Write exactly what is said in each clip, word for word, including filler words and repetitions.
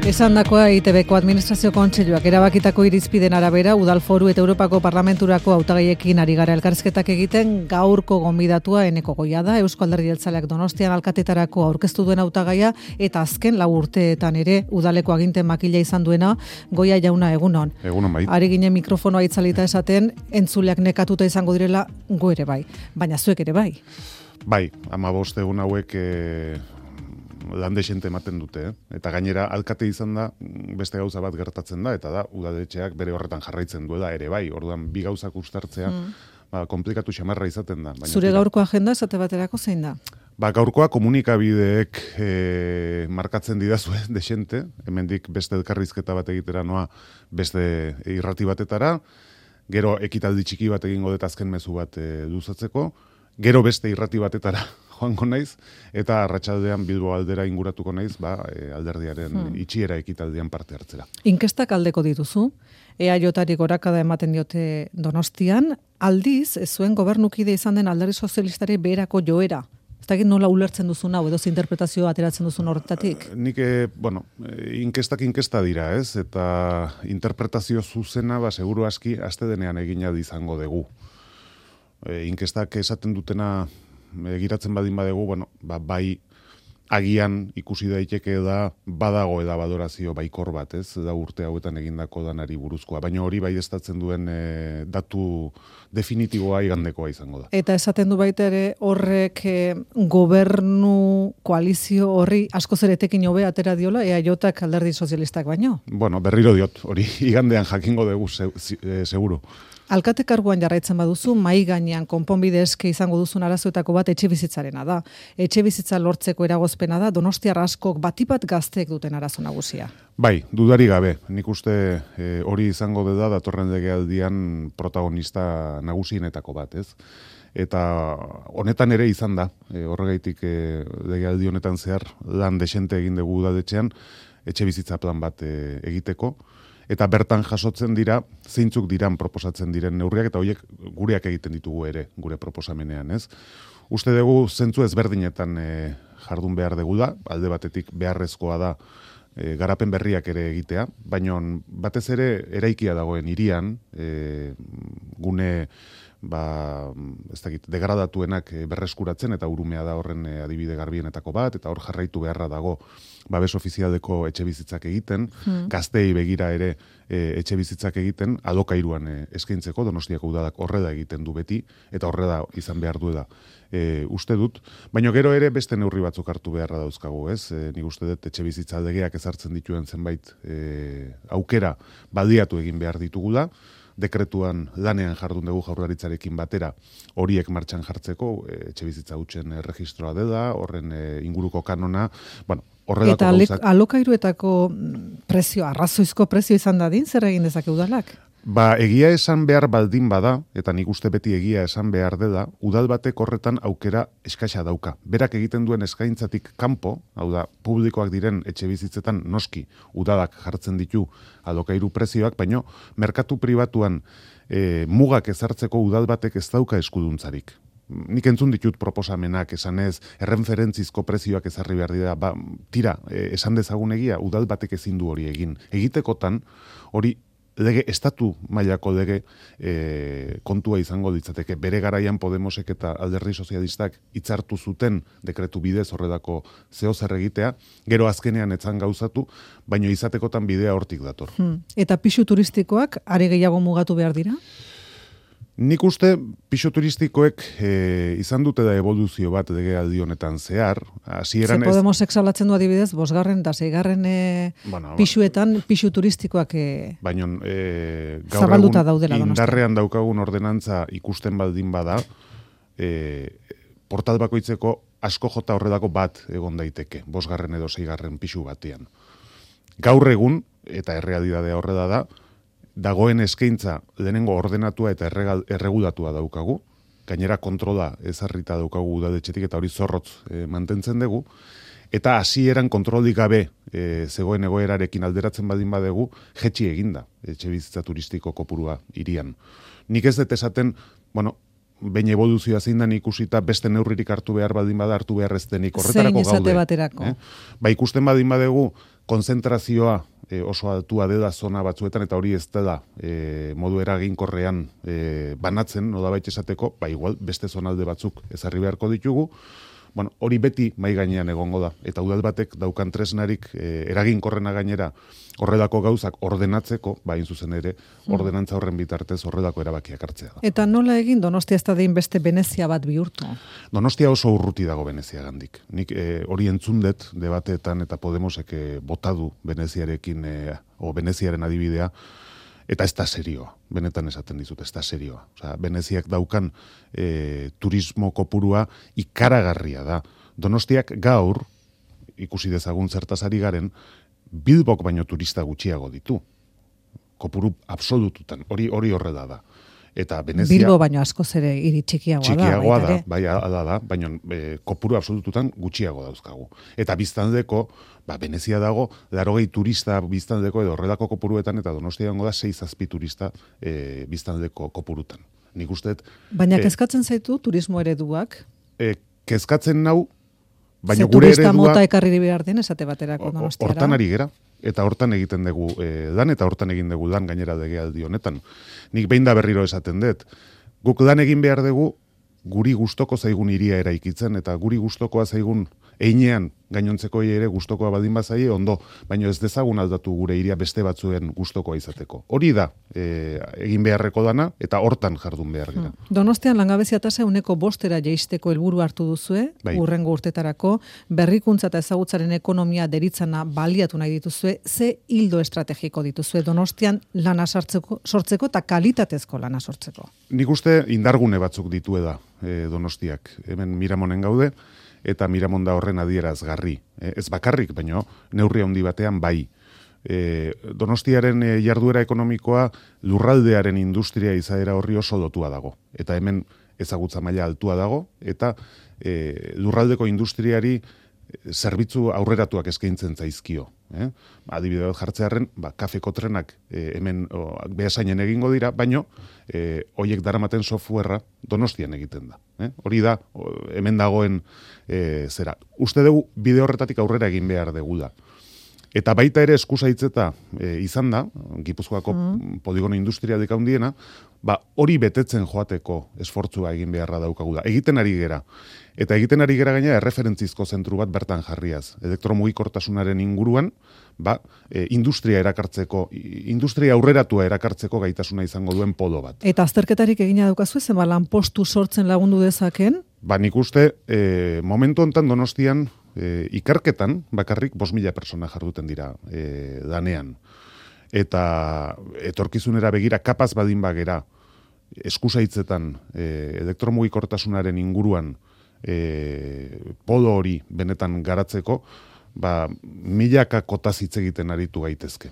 Esandakoa E I Te Beko Administrazio Kontseiluak erabakitako irizpiden arabera Udal Foru eta Europako Parlamenturako hautagaiekin ari gara elkarrizketak egiten. Gaurko gonbidatua Eneko Goia da, Eusko Alderdi Jeltzaleak Donostian alkatetarako aurkeztu duen hautagaia eta azken lau urteetan ere udaleko aginten makila izan duena. Goia jauna, egunon. Egunon bai. Ari ginen mikrofonoa itzalita esaten, entzuleak nekatuta izango direla, gu ere bai. Baina zuek ere bai. Bai, hamabost egun hauek e, lan desente ematen dute, eh? Eta gainera alkate izan da, beste gauza bat gertatzen da, eta da, udaletxeak bere horretan jarraitzen duela ere bai, orduan bi gauzak uztartzea, mm. ba, komplikatu xamarra izaten da. Baina Zure tira, gaurko agenda esate baterako zein da? Ba, gaurkoa komunikabideek e, markatzen didazue desente, hemendik beste elkarrizketa bat egitera noa beste irrati batetara, gero ekitaldi txiki bat egingo dut azken mezu bat e, luzatzeko, gero beste irrati batetara joango naiz, eta arratsaldean Bilbo aldera inguratuko naiz, ba, e, alderdiaren hmm. itxiera ekitaldian parte hartzera. Inkestak aldeko dituzu, E A Jtarik gorakada ematen diote Donostian, aldiz, ez zuen gobernukide izan den Alderdi Sozialistari beherako joera. Ez dakit nola ulertzen duzun hau, edo interpretazioa ateratzen duzun horretatik? Nik, e, bueno, inkestak inkesta dira, ez? Eta interpretazio zuzena, ba, seguru aski, aste denean egina izango dugu. E, inkestak esaten dutena egiratzen badin badegu, bueno, ba, bai agian ikusi daiteke da badago eda badorazio baikor bat, ez? Da urte hauetan egindako danari buruzkoa, baina hori bai estatzen duen e, datu definitiboa igandekoa izango da. Eta esaten du baita ere horrek e, gobernu koalizio horri askoz ere etekin hobe atera diola E A Jak Alderdi Sozialistak baino? Bueno, berriro diot, hori igandean jakingo dugu se, se, seguru. Alkate karguan jarraitzen baduzu, mai gainean konponbide eske izango duzun arazoetako bat etxe bizitzarena da. Etxe bizitza lortzeko eragozpena da, Donostiar askok batipat gazteek duten arazo nagusia. Bai, dudari gabe. Nik uste e, hori izango da datorren legealdian protagonista nagusienetako bat, ez? Eta honetan ere izan da, e, horregaitik e, legealdi honetan zehar lan desente egin dugu udaletxean, etxe bizitza plan bat e, egiteko, eta bertan jasotzen dira, zeintzuk diran proposatzen diren neurriak, eta horiek gureak egiten ditugu ere, gure proposamenean, ez? Uste dugu zentzu ezberdinetan e, jardun behar dugu da, alde batetik beharrezkoa da e, garapen berriak ere egitea, baina batez ere eraikia dagoen hirian, e, gune ba, ez dakit, degradatuenak berreskuratzen, eta urumea da horren adibide garbienetako bat, eta hor jarraitu beharra dago babes ofizialdeko etxe bizitzak egiten, hmm. gazteei begira ere e, etxe bizitzak egiten, alokairuan e, eskaintzeko, Donostiako udadak horrela egiten du beti, eta horrela izan behar du da. E, uste dut, baina gero ere beste neurri batzuk hartu beharra dauzkagu, ez? E, nik uste dut etxe bizitza legeak ezartzen dituen zenbait e, aukera baliatu egin behar ditugula, dekretuan lanean jardun dugu Jaurlaritzarekin batera horiek martxan jartzeko, e, etxe bizitza hutsen erregistroa dela, horren e, inguruko kanona, bueno, horrelako eta gauzak. Eta alokairuetako prezio, arrazoizko prezio izan dadin, zer egin dezake udalak? Ba, egia esan behar baldin bada, eta nik uste beti egia esan behar dela, udal batek horretan aukera eskaxa dauka. Berak egiten duen eskaintzatik kanpo, hau da, publikoak diren etxe bizitzetan noski udalak jartzen ditu alokairu prezioak, baino merkatu pribatuan e, mugak ezartzeko udal batek ez dauka eskuduntzarik. Nik entzun ditut proposamenak, esanez, erreferentzizko prezioak ezarri behar dira, ba, tira, e, esan dezagun egia, udal batek ezin du hori egin. Egitekotan, hori lege, estatu mailako lege e, kontua izango ditzateke. Bere garaian Podemosek eta Alderdi Sozialistak hitzartu zuten dekretu bidez horrelako zeo zer egitea, gero azkenean etzan gauzatu, baino izatekotan bidea hortik dator. Hmm. Eta pisu turistikoak are gehiago mugatu behar dira? Nik uste pisu turistikoek e, izan dute da evoluzio bat legealdi honetan zehar. Ze Podemosek salatzen du adibidez, bosgarren da seigarren e, bueno, pisuetan pisu turistikoak e, baino, e, gaur egun indarrean daukagun ordenantza ikusten baldin bada, e, portal bakoitzeko asko jota horredako bat egon daiteke, bosgarren edo seigarren pisu batean. Gaur egun, eta errealidadea horrela da, dagoen eskaintza lehenengo ordenatua eta erregulatua daukagu, gainera kontrola ezarrita daukagu udaletxetik eta hori zorrotz e, mantentzen dugu, eta hasieran kontrolik gabe e, zegoen egoerarekin alderatzen badin badegu, jetxi eginda etxe bizitza turistiko kopurua hirian. Nik ez dut esaten, bueno, behin evoluzioa zein da ikusita beste neurririk hartu behar badin bada hartu behar ez denik horretarako gaude. Zein esate baterako. Eh? Ba ikusten badin badegu konzentrazioa e, oso altua dela zona batzuetan, eta hori ez da e, modu eraginkorrean e, banatzen, nolabait esateko, ba igual beste zonalde batzuk ezarri beharko ditugu. Bueno, hori beti mai gainean egongo da, eta udal batek daukan tresnarik e, eraginkorrena gainera horrelako gauzak ordenatzeko, ba in zuzen ere, ordenantza horren bitartez horrelako erabakiak hartzea da. Eta nola egin Donostia ez da dein beste Venezia bat bihurtu? Donostia oso urruti dago Veneziagandik. Nik e, hori entzundet debateetan eta Podemosek e, botadu Veneziarekin, e, o Veneziaren adibidea, eta ez da serioa, benetan esaten dizut, ez da serioa. Osea, Veneziak daukan e, turismo kopurua ikaragarria da. Donostiak gaur, ikusi dezagun zertaz ari garen, Bilbok baino turista gutxiago ditu. Kopuru absolututan, hori hori horrela da. Eta Venezia, Bilbo baino askoz ere hiri txikiagoa, txikiagoa da. da, bai, ala da, baina e, kopuru absolututan gutxiago dauzkagu. Eta biztanleko, ba, Venezia dago, larogei turista biztanleko edo horrelako kopuruetan, eta Donostia dago da sei zazpi turista e, biztanleko kopurutan. Nik usteet... Baina e, kezkatzen zaitu turismo ereduak? E, kezkatzen nau, baina Ze gure turista eredua... mota ekarri behar den, esate baterako Donostiara. Hortan ari gera, eta hortan egiten dugu e, lan, eta hortan egin dugu lan gainera legealdi honetan. Nik behin da berriro esaten dut. Guk lan egin behar dugu guri gustoko zaigun hiria eraikitzen, eta guri gustokoa zaigun einean gainontzekoi ere gustokoa baldin bazaie ondo, baina ez dezagun aldatu gure hiria beste batzuen gustokoa izateko. Hori da e, egin beharreko dana, eta hortan jardun behar gira. Donostian langabezia tasa ehuneko bostera jaisteko helburu hartu duzue, bai. Hurrengo urtetarako, berrikuntza eta ezagutzaren ekonomia deritzana baliatu nahi dituzue, ze hildo estrategiko dituzue Donostian lana sortzeko, sortzeko eta kalitatezko lana sortzeko? Nik uste indargune batzuk ditu da e, Donostiak. Hemen Miramonen gaude, eta Miramon da horren adierazgarri. E, ez bakarrik, baino neurri handi batean bai. E, Donostiaren e, jarduera ekonomikoa lurraldearen industria izaera horri oso lotua dago. Eta hemen ezagutza maila altua dago, eta e, lurraldeko industriari zerbitzu aurreratuak eskaintzen zaizkio. Eh? Adibide bat jartzearren, ba, kafeko trenak e, hemen o, behasainen egingo dira, baino e, hoiek daramaten softwarea Donostian egiten da. Eh? Hori da, o, hemen dagoen e, zera. Uste dugu bide horretatik aurrera egin behar degula. Eta baita ere eskusaitzeta e, izan da, Gipuzkoako mm. poligono industrialik handiena, ba, hori betetzen joateko esfortzua egin beharra daukagula. Egiten ari gera. Eta egiten ari gera gaina erreferentzizko zentru bat bertan jarriaz. Elektromugikortasunaren inguruan, ba, e, industria erakartzeko, industria aurreratua erakartzeko gaitasuna izango duen polo bat. Eta azterketarik egina daukazu, zenba lanpostu sortzen lagundu dezaken? Ba, nik uste, e, momentu hontan Donostian, e, ikerketan, bakarrik bost mila persona jarduten dira e, danean. Eta etorkizunera begira kapaz badin bagera, eskusaitzetan, e, elektromugikortasunaren inguruan, E, polo hori benetan garatzeko, ba, milaka kotaz hitz egiten aritu gaitezke.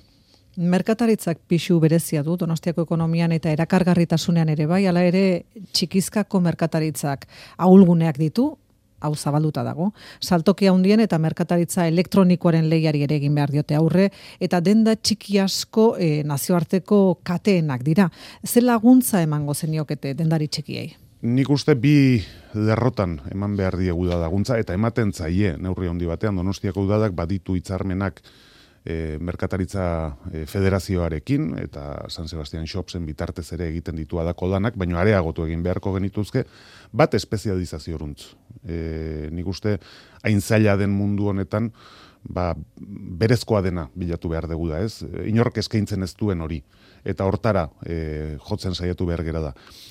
Merkataritzak pixu berezia du Donostiako ekonomian eta erakargarritasunean ere bai, hala ere txikizkako merkataritzak ahulguneak ditu, hau zabalduta dago. Saltoki handien eta merkataritza elektronikoaren lehiari ere egin behar diote aurre, eta denda txiki asko e, nazioarteko kateenak dira. Ze laguntza emango zeniokete dendari txikiei? Nik uste bi lerrotan eman behar diegu da laguntza, eta ematen zaie neurri handi batean Donostiako udadak baditu hitzarmenak e, merkataritza e, federazioarekin, eta San Sebastian Shopsen bitartez ere egiten ditu adako lanak, baina areagotu egin beharko genituzke, bat espezializazioruntz. E, nik uste hain zaila den mundu honetan, ba, berezkoa dena bilatu behar dugu da, ez? Inork eskaintzen ez duen hori. Eta hortara e, jotzen saiatu behar gera da.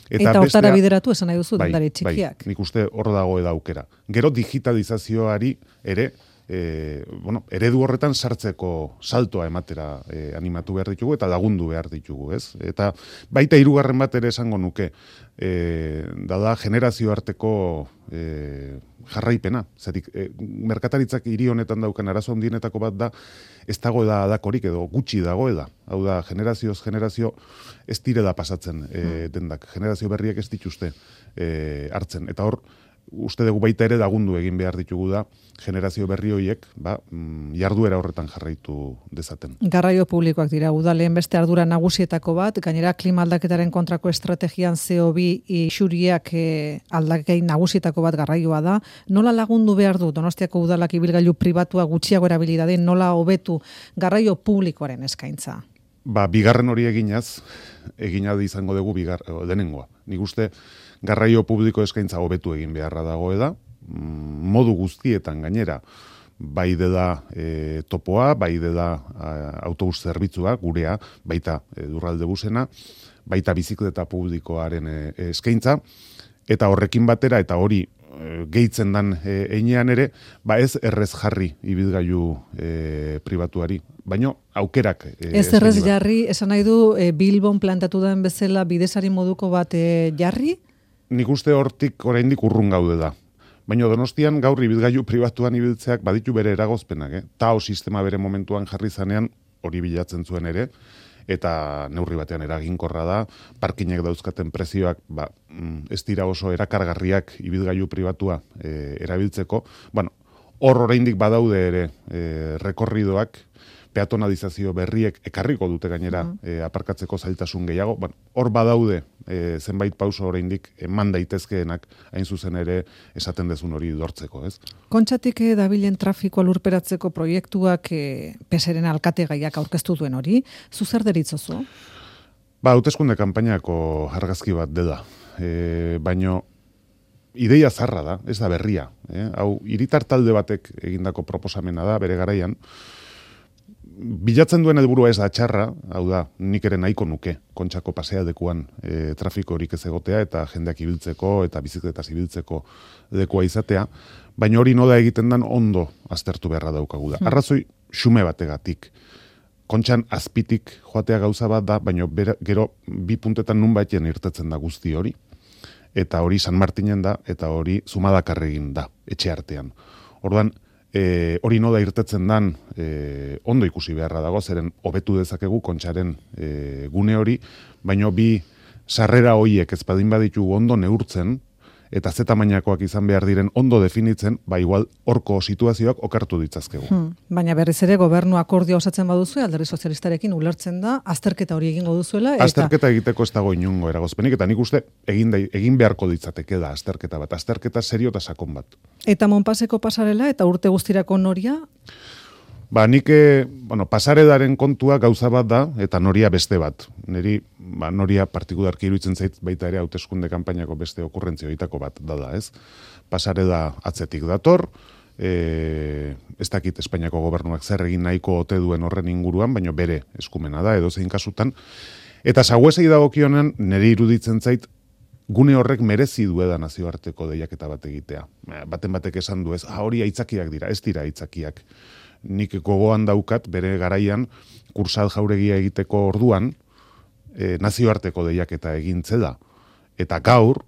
Eta, eta hortara bestea, bideratu esan nahi duzu bai, dendari txikiak. Bai, nik uste hor dago eda aukera. Gero digitalizazioari ere, e, bueno, eredu horretan sartzeko saltoa ematera e, animatu behar ditugu eta lagundu behar ditugu, ez? Eta baita hirugarren bat ere esango nuke, e, da da generazio arteko e, jarraipena. Zerik, e, merkataritzak hiri honetan daukan arazo handienetako bat da, ez dago da adakorik edo gutxi dagoela. Hau da, generazioz generazio ez direla pasatzen e, dendak. Generazio berriak ez dituzte e, hartzen. Eta hor, uste dugu baita ere lagundu egin behar ditugu da, generazio berri horiek, ba, jarduera horretan jarraitu dezaten. Garraio publikoak dira, udaleen beste ardura nagusietako bat, gainera klima aldaketaren kontrako estrategian C O bi isuriak e, aldakei nagusietako bat garraioa da. Nola lagundu behar du Donostiako udalak ibilgailu pribatua gutxiago erabili dadin, nola hobetu garraio publikoaren eskaintza? Ba, bigarren hori eginaz, egina izango dugu bigar, denengoa. Nik uste garraio publiko eskaintza hobetu egin beharra dago eda, modu guztietan gainera, bai dela e, topoa, bai dela autobus zerbitzua, gurea, baita e, durralde busena, baita bizikleta publikoaren e, eskaintza, eta horrekin batera, eta hori e, gehitzen dan e, einean ere, ba ez errez jarri ibilgailu e, pribatuari, baino aukerak. E, ez errez jarri, esan nahi du, e, Bilbon plantatu den bezala bidesari moduko bat e, jarri? Nik uste hortik oraindik urrun gaude da. Baina Donostian gaur ibilgailu pribatuan ibiltzeak baditu bere eragozpenak, eh? Tao sistema bere momentuan jarri zanean hori bilatzen zuen ere, eta neurri batean eraginkorra da, parkinek dauzkaten prezioak ba, ez dira oso erakargarriak ibilgailu pribatua e, erabiltzeko. Bueno, hor oraindik badaude ere e, rekorridoak, peatonalizazio berriek ekarriko dute gainera uh-huh. e, aparkatzeko zailtasun gehiago. Bueno, hor badaude e, zenbait pauso oraindik eman daitezkeenak hain zuzen ere esaten dezun hori dortzeko, ez? Kontxatik e, dabilen trafikoa lurperatzeko proiektuak e, peseren alkate gaiak aurkeztu duen hori, zu zer deritzozu? Ba, hauteskunde kanpainako argazki bat dela. E, baino ideia zarra da, ez da berria. Eh? Hau, hiritar talde batek egindako proposamena da, bere garaian, bilatzen duen helburua ez da txarra, hau da, nik ere nahiko nuke, Kontxako pasealdekuan e, trafiko horik ez egotea, eta jendeak ibiltzeko, eta bizikletaz ibiltzeko lekua izatea, baina hori noda egiten dan ondo aztertu beharra daukagu da. Hmm. Arrazoi xume bategatik. Kontxan azpitik joatea gauza bat da, baina bera, gero bi puntetan nun baiten irtetzen da guzti hori, eta hori San Martinen da, eta hori Zumadakarregin da, etxe artean. Orduan, E, hori noda irtetzen dan e, ondo ikusi beharra dago, zeren hobetu dezakegu Kontxaren e, gune hori, baino bi sarrera hoiek ez badin baditu ondo neurtzen, eta ze tamainakoak izan behar diren ondo definitzen, ba igual horko situazioak okartu ditzazkegu. Hmm. Baina berriz ere gobernu akordioa osatzen baduzu, Alderdi Sozialistarekin ulertzen da, azterketa hori egingo duzuela. Eta... Azterketa egiteko ez dago inungo eragozpenik, eta nik uste egin, da, egin beharko ditzateke da azterketa bat, azterketa serio eta sakon bat. Eta Monpaseko pasarela eta urte guztirako noria? Ba, nik, bueno, pasaredaren kontua gauza bat da, eta noria beste bat. Neri, ba, noria partikularki iruditzen zait baita ere hauteskunde kanpainako beste okurrentzioitako bat dada, ez? Pasareda atzetik dator, e, ez dakit Espainiako gobernuak zer egin nahiko ote duen horren inguruan, baina bere eskumena da, edo zein kasutan. Eta saguesei dagokionen neri iruditzen zait, gune horrek merezi dueda nazioarteko deiaketa bat egitea. Baten batek esan du ez, ah, hori aitzakiak dira, ez dira aitzakiak. Nik gogoan daukat, bere garaian, kursal jauregia egiteko orduan, e, nazioarteko deiaketa egintze da. Eta gaur,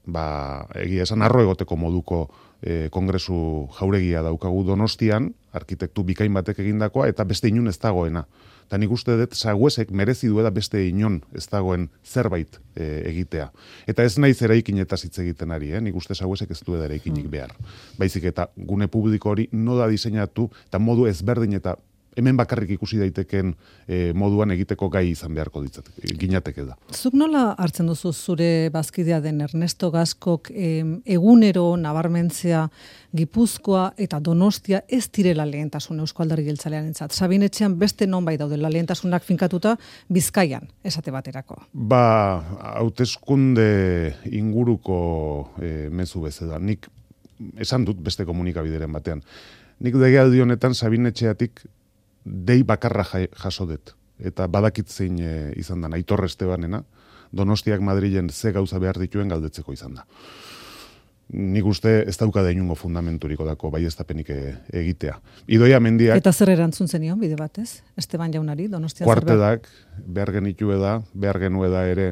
ba, egia esan arro egoteko moduko e, kongresu jauregia daukagu Donostian, arkitektu bikain batek egindakoa, eta beste inun ez dagoena. Eta nik uste dut, saguesek merezi duela beste inon ez dagoen zerbait e, egitea. Eta ez naiz eraikinetaz hitz egiten ari, eh? Nik uste saguesek ez duela eraikinik behar. Baizik eta gune publiko hori noda diseinatu, eta modu ezberdin eta hemen bakarrik ikusi daiteken e, moduan egiteko gai izan beharko ditzateke, ginateke da. Zuk nola hartzen duzu zure bazkidea den Ernesto Gaskok e, egunero nabarmentzea Gipuzkoa eta Donostia ez direla lehentasun Eusko Alderdi Jeltzalearentzat. Sabin etxean beste nonbait daudela lehentasunak finkatuta Bizkaian esate baterako. Ba, hauteskunde inguruko e, mezu bezala. Nik esan dut beste komunikabideren batean. Nik legealdi honetan Sabin etxeatik dei bakarra jaso dut. Eta badakit zein e, izan da, Aitor Estebanena, Donostiak Madrilen ze gauza behar dituen galdetzeko izan da. Nik uste ez dauka da inungo fundamenturiko dako baieztapenik e, egitea. Idoia Mendiak... Eta zer erantzun zenion bide batez? Esteban jaunari, Donostia kuartedak, behar genitue da, behar genue da ere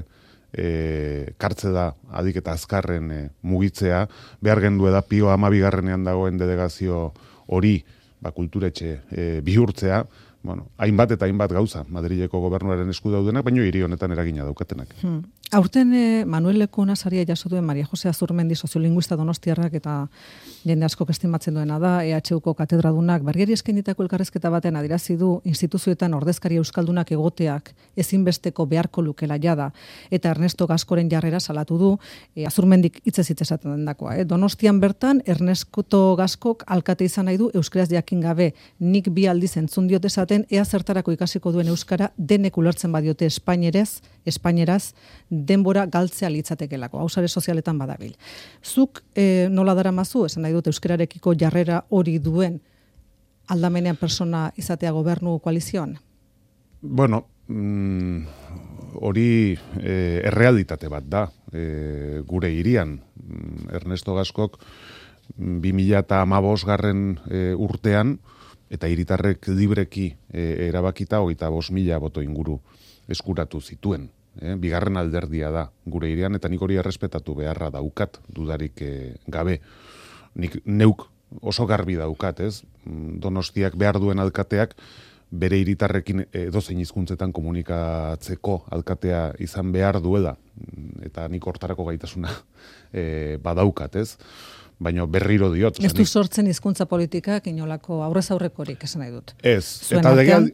e, kartze da adik eta azkarren e, mugitzea, behar gendue da Pio amabigarrenean dagoen delegazio hori ba, kulturetxe e, bihurtzea, bueno, hainbat eta hainbat gauza, Madrileko gobernuaren esku daudenak, baino hiri honetan eragina daukatenak. Hmm. Aurten eh, Manuel Lekona saria jaso duen Maria Jose Azurmendi soziolinguista donostiarrak eta jende asko estimatzen duena da, E H Uko katedradunak bergeri eskainitako elkarrezketa baten adierazi du instituzioetan ordezkari euskaldunak egoteak ezinbesteko beharko lukela jada, eta Ernesto Gaskoren jarrera salatu du, e, Azurmendik hitzez hitz esaten dendakoa. Eh? Donostian bertan Ernesto Gaskok alkate izan nahi du euskaraz jakin gabe, nik bi aldiz entzun diot esaten ea zertarako ikasiko duen euskara denek ulertzen badiote espainerez, espaineraz, denbora galtzea litzatekelako, hau sare sozialetan badabil. Zuk e, nola daramazu, esan nahi dut euskararekiko jarrera hori duen aldamenean persona izatea gobernu koalizioan? Bueno, mm, hori e, errealitate bat da, e, gure hirian. Ernesto Gaskok bi mila hamabost garren e, urtean, eta hiritarrek libreki e, erabakita hogeita bost mila boto inguru eskuratu zituen. Eh, bigarren alderdia da gure hirian, eta nik hori errespetatu beharra daukat, dudarik eh, gabe. Nik neuk oso garbi daukat, ez? Donostiak behar duen alkateak bere hiritarrekin edozein hizkuntzetan komunikatzeko alkatea izan behar duela, eta nik hortarako gaitasuna eh, badaukat, ez? Baina berriro diot. Ez du sortzen hizkuntza politikak inolako aurrez aurrekorik, esan nahi dut. Ez, Zuen eta artean...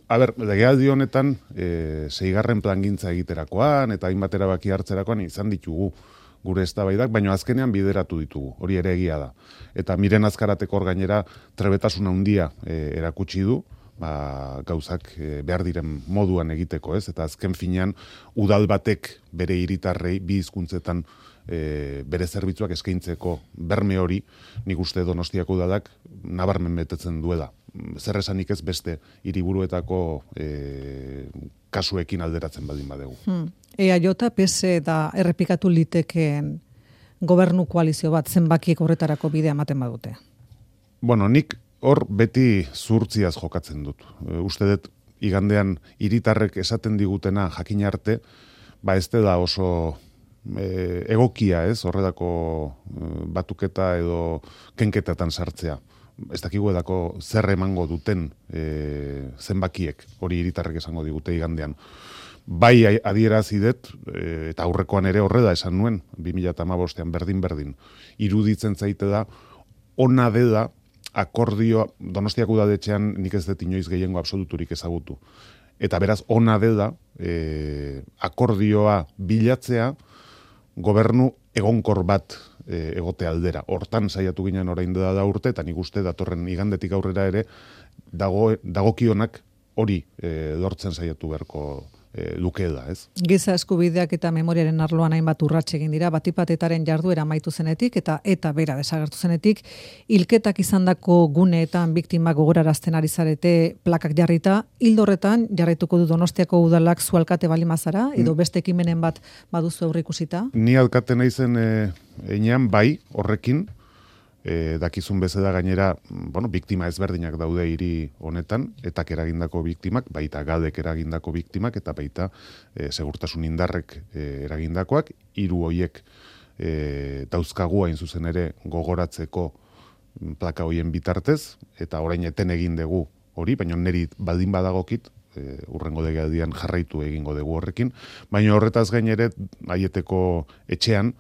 legealdi honetan e, seigarren plangintza egiterakoan, eta hainbat erabaki hartzerakoan izan ditugu gure eztabaidak, baina azkenean bideratu ditugu, hori ere egia da. Eta Miren Azkarateko hor gainera trebetasuna handia e, erakutsi du, ba, gauzak e, behar diren moduan egiteko, ez? Eta azken finean udal batek bere hiritarrei bi hizkuntzetan E, bere zerbitzuak eskaintzeko berme hori, nik uste Donostiako udalak nabarmen betetzen duela. Zer esanik ez beste hiriburuetako e, kasuekin alderatzen baldin badegu. Hmm. E A J, P S da errepikatu litekeen gobernu koalizio bat zenbakiek horretarako bidea ematen badute? Bueno, nik hor beti zurtziaz jokatzen dut. E, uste dut igandean hiritarrek esaten digutena jakin arte, ba ez da oso E, egokia, ez, horredako e, batuketa edo kenketatan sartzea. Ez dakigu edako zer emango duten e, zenbakiek, hori hiritarrek esango digute igandean. Bai adierazi dut, e, eta aurrekoan ere horreda esan nuen, bi mila hamabostean berdin-berdin, iruditzen zaite da, ona dela akordioa, Donostiako udadetxean nik ez dut inoiz gehiengo absoluturik ezagutu. Eta beraz, ona dela e, akordioa bilatzea, gobernu egonkor bat e, egote aldera. Hortan saiatu ginen orain da da urte, eta nik uste datorren igandetik aurrera ere dago, dagokionak hori e, lortzen saiatu beharko e, lukeela, ez? Giza eskubideak eta memoriaren arloan hainbat urrats egin dira, batipatetaren jarduera amaitu zenetik eta eta bera desagertu zenetik, hilketak izandako guneetan biktimak gogorarazten ari zarete plakak jarrita, hildorretan jarraituko du Donostiako udalak zu alkate balimazara, edo beste ekimenen bat baduzu aurreikusita? Ni alkate naizen e, enean bai horrekin, E, dakizun bezala gainera, bueno, biktima ezberdinak daude hiri honetan, eta eragindako biktimak, baita gadek eragindako biktimak, eta baita e, segurtasun indarrek e, eragindakoak, hiru hoiek e, dauzkagu hain zuzen ere gogoratzeko plaka hoien bitartez, eta orain eten egin dugu hori, baina niri baldin badagokit, e, urrengo legealdian jarraitu egingo dugu horrekin, baina horretaz gain ere Aieteko etxean,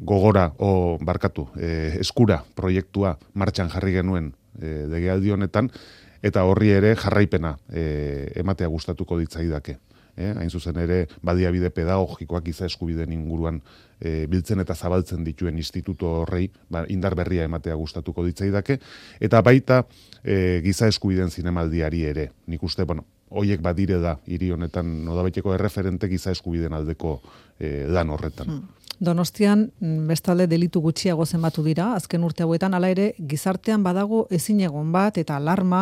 gogora, o barkatu, e, eskura proiektua martxan jarri genuen e, legealdi honetan, eta horri ere jarraipena e, ematea gustatuko ditzaidake. E, hain zuzen ere, baliabide pedagogikoak giza eskubideen inguruan e, biltzen eta zabaltzen dituen instituto horrei ba, indar berria ematea gustatuko ditzaidake, eta baita e, giza eskubideen zinemaldiari ere. Nik uste, bueno, hoiek badire da, hiri honetan nodabaiteko erreferente giza eskubideen aldeko e, lan horretan. Hmm. Donostian bestalde delitu gutxiago zenbatu dira, azken urte hauetan, hala ere gizartean badago ezin egon bat eta alarma,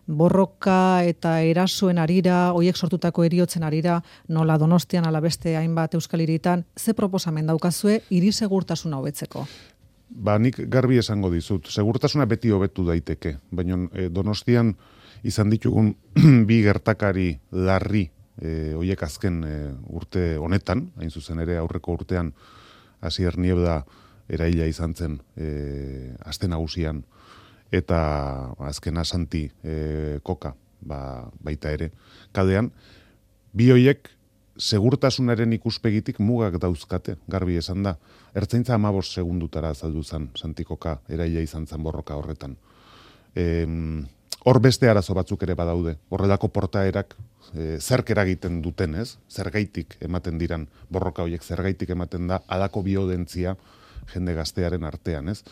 borroka eta erasoen arira, hoiek sortutako heriotzen arira, nola Donostian ala beste hainbat euskal hiritan, ze proposamen daukazue hiri segurtasuna hobetzeko? Ba, nik garbi esango dizut, segurtasuna beti hobetu daiteke, baina e, Donostian izan ditugun bi gertakari larri e, hoiek azken e, urte honetan, hain zuzen ere aurreko urtean Asier Niebla eraila izan zen e, aste nagusian, eta azkena Santi e, Koka ba, baita ere, kalean, bi hoiek segurtasunaren ikuspegitik mugak dauzkate, garbi esan da. Ertzaintza hamabost segundutara azaldu zen, Santikoka, eraila izan zen borroka horretan. E, hor beste arazo batzuk ere badaude. Horrelako portaerak e, zerk eragiten duten, ez? Zergaitik ematen diran borroka horiek, zergaitik ematen da alako biodentzia jende gaztearen artean, ez?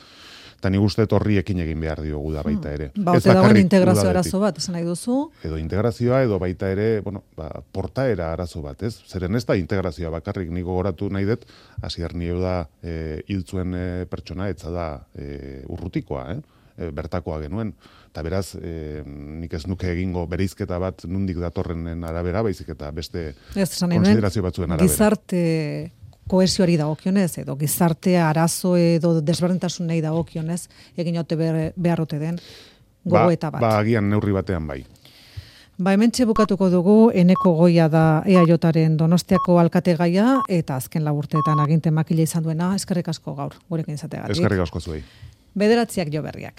Eta nik uste horri ekin egin behar diogu da baita ere. Hmm. Ba, ote dagoen integrazio arazo bat, esan nahi duzu? Edo integrazioa, edo baita ere, bueno, ba, portaera arazo bat, ez? Zeren ez da integrazioa bakarrik, niko goratu nahi dut, Asier Nieu da e, hiltzuen e, pertsona, etza da e, urrutikoa, eh? E, bertakoa genuen. Eta beraz, e, nik ez nuke egingo bereizketa bat nundik datorrenen arabera, baizik eta beste konsiderazio batzuen arabera. Gizarte kohesioari dagokionez, edo gizartea arazo edo desberdintasunei dagokionez, egin ote beharrote den gogoeta bat. Ba, agian neurri batean bai. Ba, hementxe bukatuko dugu, Eneko Goia da E A Jaren Donostiako alkategaia, eta azken laburteetan aginte makila izan duena, eskerrik asko gaur, gurekin izateagatik. Eskerrik asko zuei. Bederatziak jo berriak.